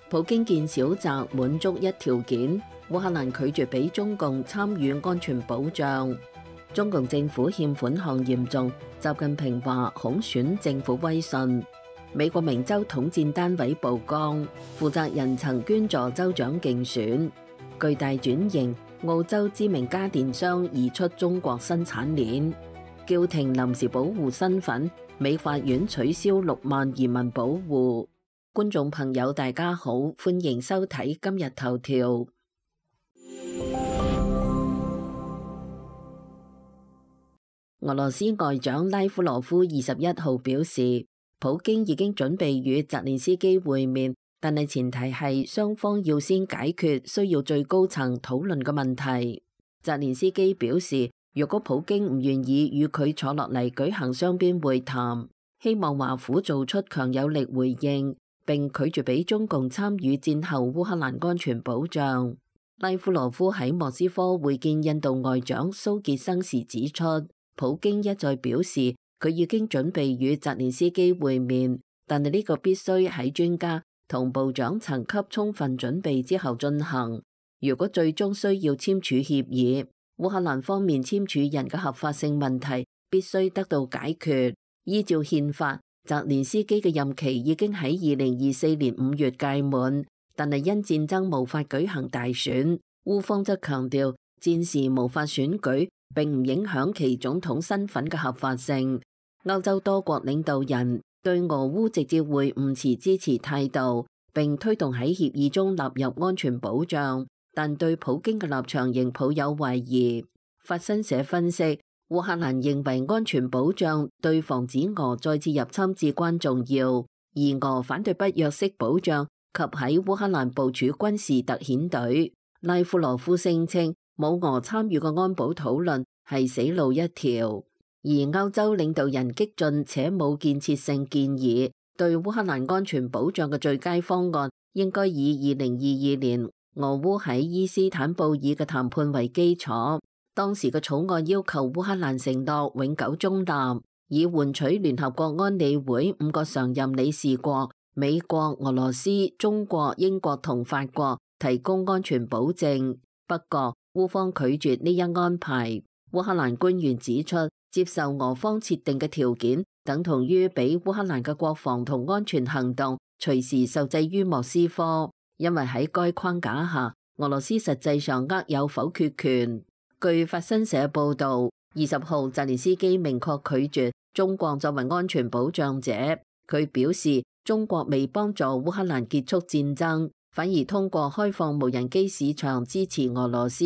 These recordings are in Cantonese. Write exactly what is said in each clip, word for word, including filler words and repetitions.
普京見小澤滿足一條件，烏克蘭拒絕俾中共參與安全保障。中共政府欠款項嚴重，習近平話恐損政府威信。美國明州統戰單位曝光，負責人曾捐助州長競選。巨大轉型，澳洲知名家電商移出中國生產鏈。叫停臨時保護身份，美法院取消六萬移民保護。觀眾朋友大家好，歡迎收睇今日頭條。俄羅斯外長拉夫羅夫二十一號表示，普京已經準備與澤連斯基會面，但係前提係雙方要先解決需要最高層討論嘅問題。澤連斯基表示，若果普京唔願意與佢坐落嚟舉行雙邊會談，希望華府做出強有力回應，並拒絕俾中共參與戰後烏克蘭安全保障。拉夫羅夫喺莫斯科會見印度外長蘇傑生時指出，普京一再表示佢已經準備與澤連斯基會面，但係呢個必須喺專家同部長層級充分準備之後進行。如果最終需要簽署協議，烏克蘭方面簽署人嘅合法性問題必須得到解決。依照憲法，澤連斯基嘅任期已經喺二零二四年五月屆滿，但係因戰爭無法舉行大選。烏方則強調戰時無法選舉並唔影響其總統身份嘅合法性。歐洲多國領導人對俄烏直接會晤持支持態度，並推動喺協議中納入安全保障，但對普京嘅立場仍抱有懷疑。法新社分析，烏克蘭認為安全保障對防止俄再次入侵至關重要，而俄反對不約式保障及喺烏克蘭部署軍事特遣隊。拉夫羅夫聲稱冇俄參與嘅安保討論係死路一條，而歐洲領導人激進且冇建設性建議，對烏克蘭安全保障嘅最佳方案應該以二零二二年俄烏喺伊斯坦布爾嘅談判為基礎。當時嘅草案要求烏克蘭承諾永久中立，以換取聯合國安理會五個常任理事國美國、俄羅斯、中國、英國同法國提供安全保證。不過烏方拒絕呢一安排。烏克蘭官員指出，接受俄方設定嘅條件，等同於俾烏克蘭嘅國防同安全行動隨時受制於莫斯科，因為喺該框架下，俄羅斯實際上握有否決權。據法新社報導，二十號澤連斯基明確拒絕中國作為安全保障者。佢表示，中國未幫助烏克蘭結束戰爭，反而通過開放無人機市場支持俄羅斯，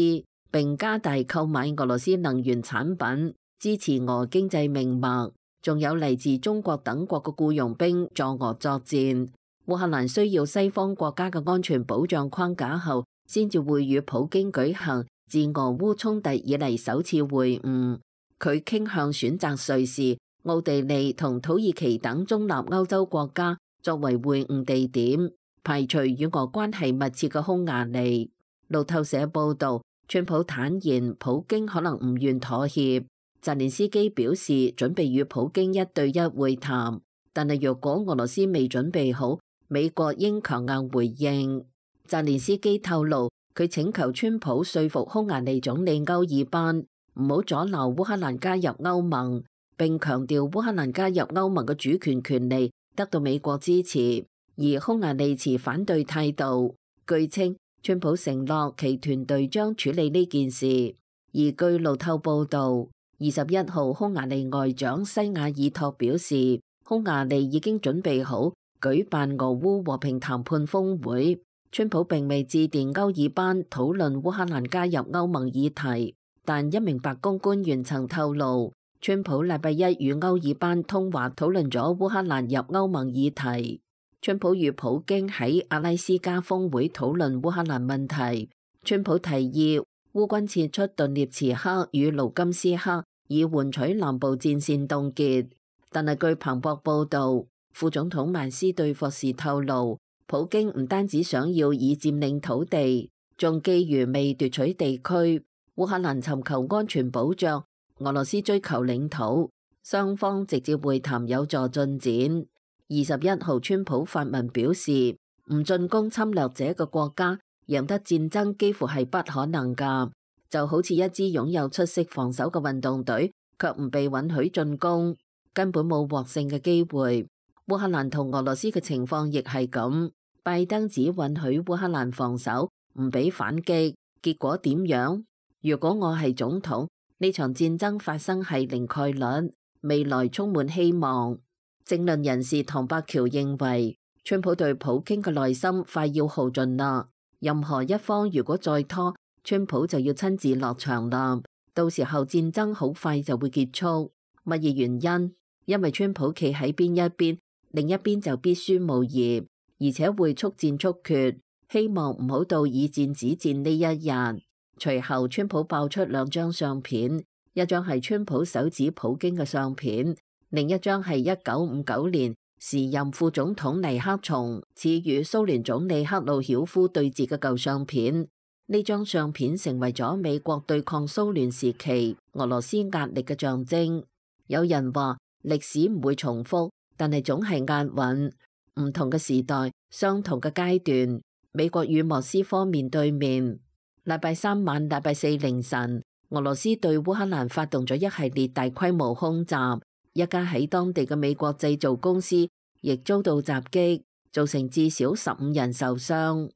並加大購買俄羅斯能源產品，支持俄經濟命脈。仲有嚟自中國等國嘅僱傭兵助俄作戰。烏克蘭需要西方國家嘅安全保障框架後，先至會與普京舉行自俄烏衝突以嚟首次會晤。佢傾向選擇瑞士、奧地利同土耳其等中立歐洲國家作為會晤地點，排除與俄關係密切嘅匈牙利。路透社報導，川普坦言普京可能唔願妥協。澤連斯基表示準備與普京一對一會談，但係若果俄羅斯未準備好，美國應強硬回應。澤連斯基透露，佢請求川普說服匈牙利總理歐爾班唔好阻撓烏克蘭加入歐盟，並強調烏克蘭加入歐盟嘅主權權利得到美國支持，而匈牙利持反對態度。據稱，川普承諾其團隊將處理呢件事。而據路透報導，二十一號匈牙利外長西雅爾托表示，匈牙利已經準備好舉辦俄烏和平談判峰會。川普並未致電歐爾班討論烏克蘭加入歐盟議題，但一名白宮官員曾透露，川普禮拜一與歐爾班通話討論咗烏克蘭入歐盟議題。川普與普京喺阿拉斯加峰會討論烏克蘭問題。川普提議烏軍撤出頓涅茨克與盧甘斯克，以換取南部戰線凍結。但係據彭博報導，副總統曼斯對霍士透露，普京唔單止想要以佔領土地，仲覬覦未奪取地區。烏克蘭尋求安全保障，俄羅斯追求領土，雙方直接會談有助進展。二十一號，川普發文表示唔進攻侵略者嘅國家，贏得戰爭幾乎係不可能㗎。就好似一支擁有出色防守嘅運動隊，卻唔被允許進攻，根本冇獲勝嘅機會。烏克蘭同俄羅斯嘅情況亦係咁，拜登只允許烏克蘭防守，唔俾反擊，結果點樣？如果我係總統，呢場戰爭發生係零概率，未來充滿希望。政論人士唐伯喬認為，川普對普京嘅耐心快要耗盡啦，任何一方如果再拖，川普就要親自落場啦，到時候戰爭好快就會結束。乜嘢原因？因為川普企喺邊一邊，另一邊就必輸無疑，而且會速戰速決，希望唔好到以戰止戰呢一日。隨後川普爆出兩張相片，一張係川普手指普京嘅相片，另一張係一九五九年時任副總統尼克松似與蘇聯總理赫魯曉夫對峙嘅舊相片。呢張相片成為咗美國對抗蘇聯時期俄羅斯壓力嘅象徵。有人話歷史唔會重複，但係總係押韻。唔同嘅時代，相同嘅階段，美國與莫斯科面對面。禮拜三晚、禮拜四凌晨，俄羅斯對烏克蘭發動咗一系列大規模空襲，一家喺當地嘅美國製造公司亦遭到襲擊，造成至少十五人受傷。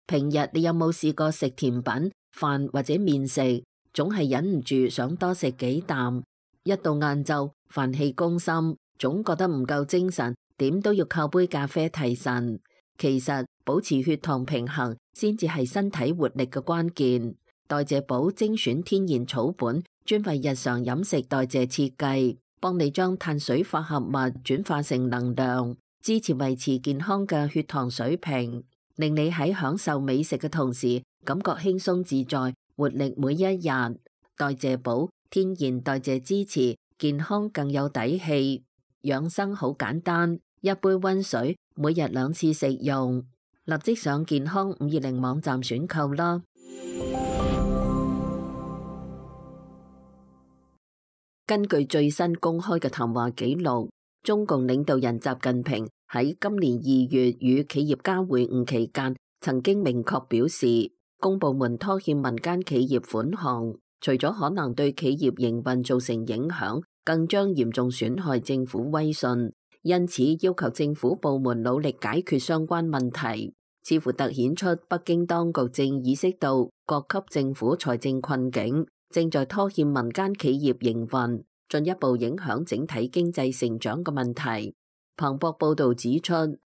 平日你有冇試過食甜品、飯或者麵食，總係忍唔住想多食幾啖。一到晏晝，飯氣攻心，總覺得唔夠精神，點都要靠杯咖啡提神。其實保持血糖平衡先至係身體活力嘅關鍵。代謝寶精選天然草本，專為日常飲食代謝設計，幫你將碳水化合物轉化成能量，支持維持健康嘅血糖水平，令你喺享受美食嘅同時，感覺輕鬆自在，活力每一日。代謝寶天然代謝支持，健康更有底氣。養生好簡單，一杯溫水，每日兩次食用。立即上健康五二零網站選購啦。根據最新公開嘅談話記錄，中共領導人習近平喺今年二月與企業家會晤期間，曾經明確表示，公部門拖欠民間企業款項，除咗可能對企業營運造成影響，更將嚴重損害政府威信。因此，要求政府部門努力解決相關問題，似乎凸顯出北京當局正意識到各級政府財政困境，正在拖欠民間企業營運，進一步影響整體經濟成長嘅問題。彭博報導指出，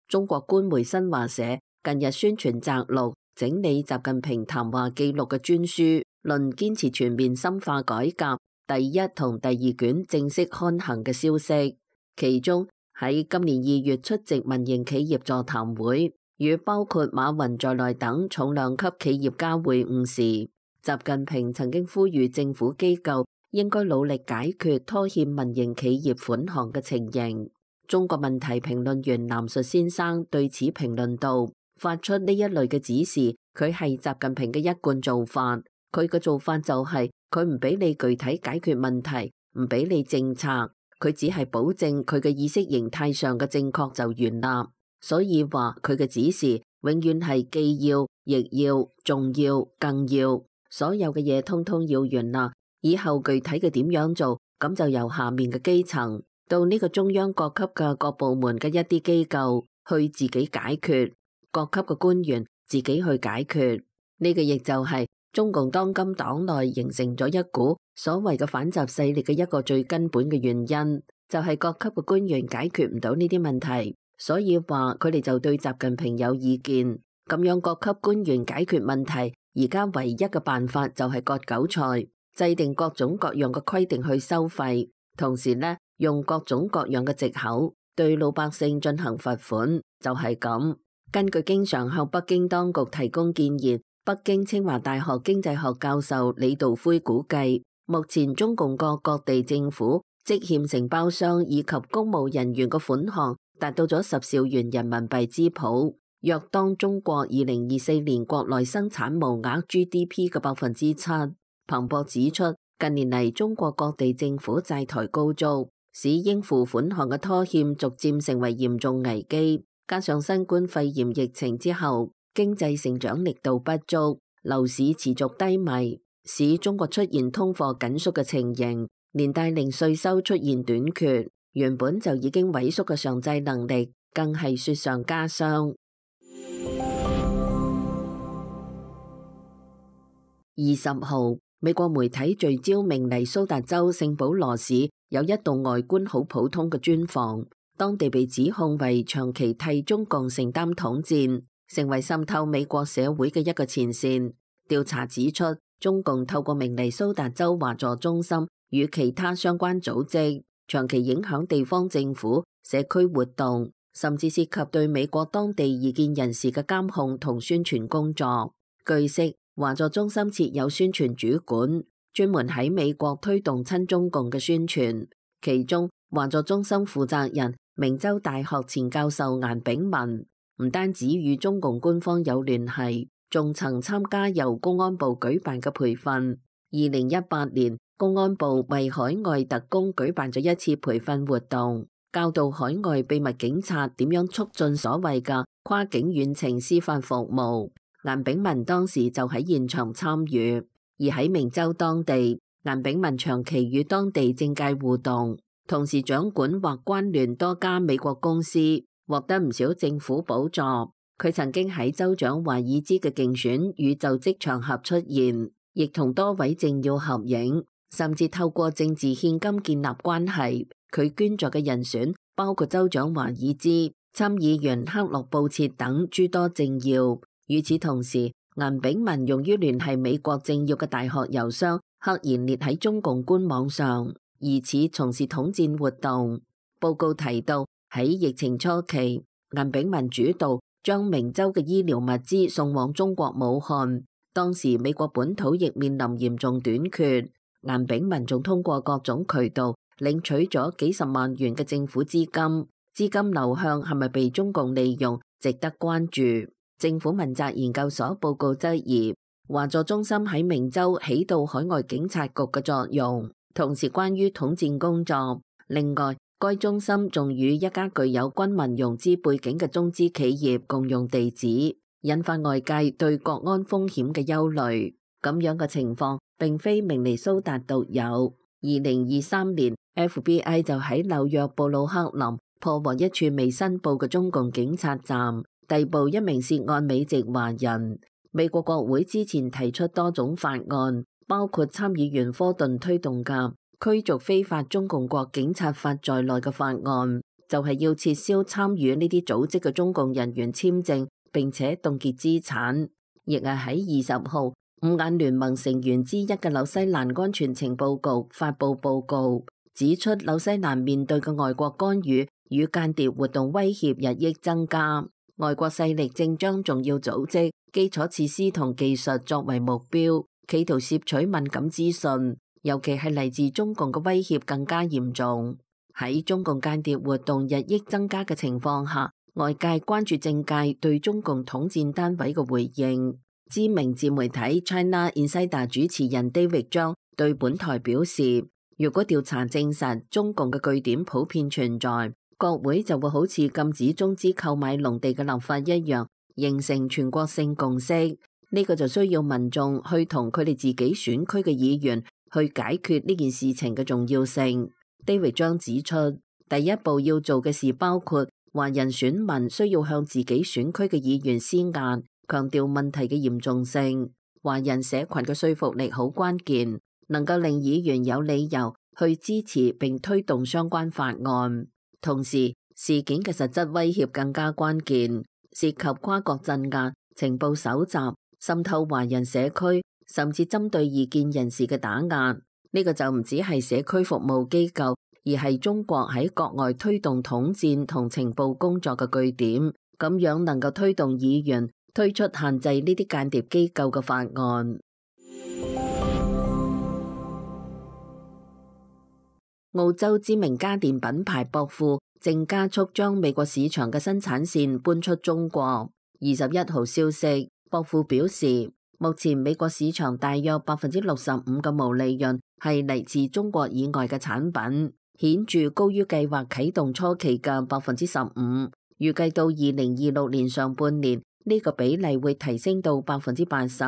中國官媒新華社近日宣傳摘錄整理習近平談話記錄嘅專書，論堅持全面深化改革第一同第二卷正式刊行嘅消息。其中喺今年二月出席民營企業座談會，與包括馬雲在內等重量級企業家會晤時，習近平曾經呼籲政府機構應該努力解決拖欠民營企業款項嘅情形。中國問題評論員藍述先生對此評論道：發出呢一類嘅指示，佢係習近平嘅一貫做法。佢嘅做法就係佢唔俾你具體解決問題，唔俾你政策，佢只係保證佢嘅意識形態上嘅正確就完啦。所以話佢嘅指示永遠係既要、亦要、仲要、更要，所有嘅嘢通通要完啦。以後具體嘅點樣做，咁就由下面嘅基層到呢個中央各級嘅各部門嘅一啲機構去自己解決，各級嘅官員自己去解決。呢個亦就係中共當今黨內形成咗一股所謂嘅反習勢力嘅一個最根本嘅原因，就係各級嘅官員解決唔到呢啲問題，所以話佢哋就對習近平有意見。咁樣各級官員解決問題，而家唯一嘅辦法就係割韭菜，制定各種各樣嘅規定去收費，同時呢，用各種各樣嘅藉口對老百姓進行罰款，就係咁。根據經常向北京當局提供建議，北京清華大學經濟學教授李道輝估計，目前中共各各地政府積欠承包商以及公務人員嘅款項達到咗十兆元人民幣之譜，約當中國二零二四年國內生產毛額 G D P 嘅百分之七。彭博指出，近年嚟中國各地政府債台高築，使應付款項嘅拖欠逐漸成為嚴重危機。加上新冠肺炎疫情之後，經濟成長力度不足，樓市持續低迷，使中國出現通貨緊縮嘅情形，連帶令稅收出現短缺，原本就已經萎縮嘅償債能力，更係雪上加霜。二十號，美國媒體聚焦明尼蘇達州聖保羅市有一棟外觀好普通嘅磚房，當地被指控為長期替中共承擔統戰，成為滲透美國社會嘅一個前線。調查指出，中共透過明尼蘇達州華助中心與其他相關組織，長期影響地方政府、社區活動，甚至涉及對美國當地異見人士嘅監控同宣傳工作。據悉，華助中心設有宣傳主管，專門喺美國推動親中共嘅宣傳。其中，華助中心負責人明州大學前教授顏炳文，唔單止與中共官方有聯繫，仲曾參加由公安部舉辦嘅培訓。二零一八年，公安部為海外特工舉辦咗一次培訓活動，教導海外秘密警察點樣促進所謂嘅跨境遠程司法服務。顏炳文當時就喺現場參與，而喺明州當地，顏炳文長期與當地政界互動，同時掌管或關聯多家美國公司，獲得唔少政府補助。佢曾經喺州長華爾茲嘅競選與就職場合出現，亦同多位政要合影，甚至透過政治獻金建立關係。佢捐助嘅人選包括州長華爾茲、參議員克洛布切等諸多政要。與此同時，顏炳文用於聯繫美國政要嘅大學郵箱赫然列喺中共官網上，疑似從事統戰活動。報告提到，喺疫情初期，顏炳文主導將明州嘅醫療物資送往中國武漢，當時美國本土亦面臨嚴重短缺。顏炳文仲通過各種渠道領取咗幾十萬元嘅政府資金，資金流向係咪被中共利用，值得關注。政府問責研究所報告質疑，華助中心喺明州起到海外警察局嘅作用，同時關於統戰工作。另外，該中心仲與一家具有軍民融資背景嘅中資企業共用地址，引發外界對國安風險嘅憂慮。咁樣嘅情況並非明尼蘇達獨有。二零二三年 F B I 就喺紐約布魯克林破獲一處未申報嘅中共警察站，逮捕一名涉案美籍華人。美國國會之前提出多種法案，包括參議員科頓推動嘅驅逐非法中共國警察法在內嘅法案，就係要撤銷參與呢啲組織嘅中共人員簽證，並且凍結資產。亦係喺二十號，五眼聯盟成員之一嘅紐西蘭安全情報局發佈報告，指出紐西蘭面對嘅外國干預與間諜活動威脅日益增加。外國勢力正將重要組織、基礎設施同技術作為目標，企圖攝取敏感資訊，尤其係嚟自中共嘅威脅更加嚴重。喺中共間諜活動日益增加嘅情況下，外界關注政界對中共統戰單位嘅回應。知名自媒體 China Insider 主持人 David 張對本台表示，如果調查證實中共嘅據點普遍存在，國會就會好似禁止中資購買農地嘅立法一樣，形成全國性共識。呢個就需要民眾去同佢哋自己選區嘅議員去解決呢件事情嘅重要性。David 張指出，第一步要做嘅事包括華人選民需要向自己選區嘅議員施壓，強調問題嘅嚴重性。華人社群嘅說服力好關鍵，能夠令議員有理由去支持並推動相關法案。同時，事件嘅實質威脅更加關鍵，涉及跨國鎮壓、情報搜集、滲透華人社區，甚至針對異見人士嘅打壓。呢個就唔只係社區服務機構，而係中國喺國外推動統戰同情報工作嘅據點。咁樣能夠推動議員推出限制呢啲間諜機構嘅法案。澳洲知名家電品牌博富正加速將美國市場嘅生產線搬出中國。二十一號消息，博富表示，目前美國市場大約百分之六十五嘅毛利潤係嚟自中國以外嘅產品，顯著高於計劃啟動初期嘅百分之十五。預計到二零二六年上半年呢個比例會提升到百分之八十。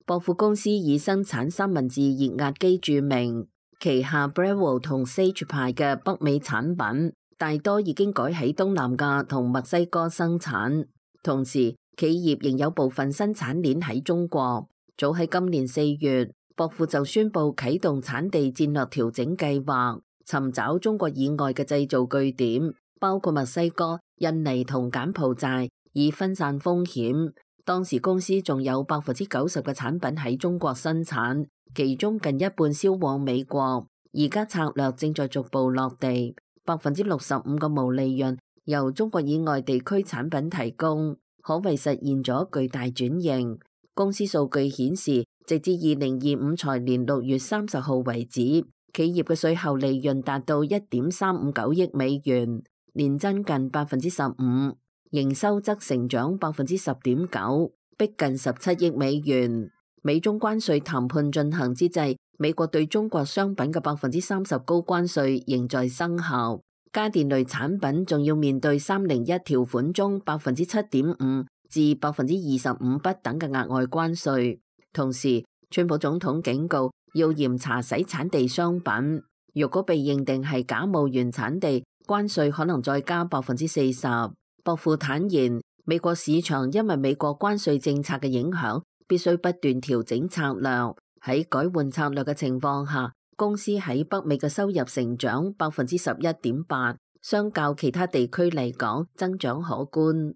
博富公司以生產三文治熱壓機著名，旗下 Breville 同 Sage 牌嘅北美產品大多已經改喺東南亞同墨西哥生產。同時，企業仍有部分生產鏈喺中國。早喺今年四月，博富就宣布啟動產地戰略調整計劃，尋找中國以外嘅製造據點，包括墨西哥、印尼同柬埔寨，以分散風險。當時公司仲有百分之九十嘅產品喺中國生產，其中近一半銷往美國。而家策略正在逐步落地，百分之六十五嘅毛利潤由中國以外地區產品提供，可謂實現咗巨大轉型。公司數據顯示，直至二零二五財年六月三十號為止，企業嘅稅後利潤達到一點三五九億美元，年增近百分之十五。營收則成長百分之十點九，逼近十七億美元。美中關稅談判進行之際，美國對中國商品嘅百分之三十高關稅仍在生效。家電類產品仲要面對三零一條款中百分之七點五至百分之二十五不等嘅額外關稅。同時，川普總統警告要嚴查洗產地商品，如果被認定係假冒原產地，關稅可能再加百分之四十。博富坦言，美國市場因為美國關稅政策嘅影響，必須不斷調整策略。喺改換策略嘅情況下，公司喺北美嘅收入成長百分之十一點八，相較其他地區嚟講，增長可觀。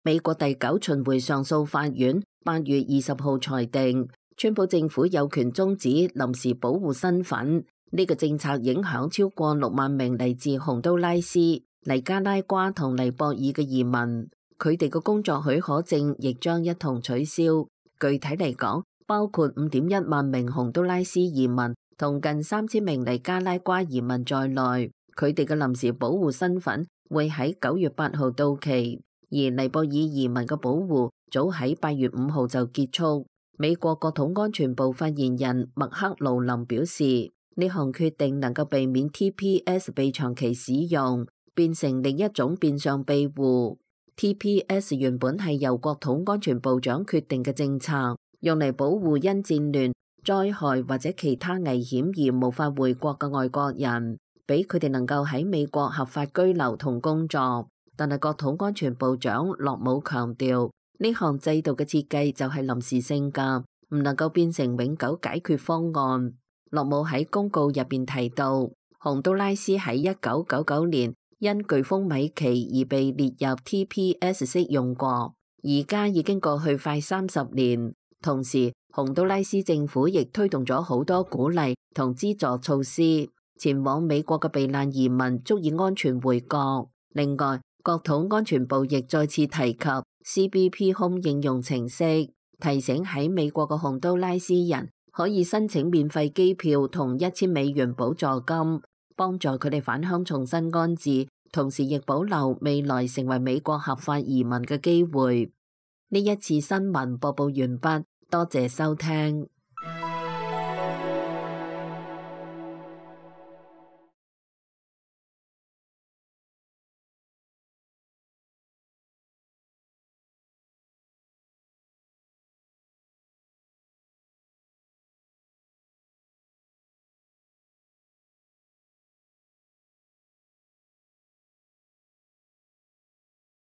美國第九巡迴上訴法院八月二十號裁定，川普政府有權終止臨時保護身份。呢個政策影響超過六萬名嚟自洪都拉斯、尼加拉瓜同尼泊爾嘅移民，佢哋嘅工作許可證亦將一同取消。具體嚟講，包括五點一萬名洪都拉斯移民同近三千名尼加拉瓜移民在內，佢哋嘅臨時保護身份會喺九月八號到期，而尼泊爾移民嘅保護早喺八月五號就結束。美國國土安全部發言人麥克勞林表示，呢項決定能夠避免 T P S 被長期使用，變成另一種變相庇護。T P S 原本係由國土安全部長決定嘅政策，用嚟保護因戰亂、災害或者其他危險而無法回國嘅外國人，俾佢哋能夠喺美國合法居留同工作。但係國土安全部長洛姆強調，呢項制度嘅設計就係臨時性㗎，唔能夠變成永久解決方案。洛姆喺公告入邊提到，洪都拉斯喺一九九九年因颶風米奇而被列入 T P S 適用國，而家已經過去快三十年。同時，洪都拉斯政府亦推動咗好多鼓勵同資助措施，前往美國嘅避難移民足以安全回國。另外，國土安全部亦再次提及 C B P Home 應用程式，提醒喺美國嘅洪都拉斯人可以申請免費機票同一千美元補助金，幫助佢哋返鄉重新安置，同時亦保留未來成為美國合法移民嘅機會。呢一次新聞播報完畢，多謝收聽。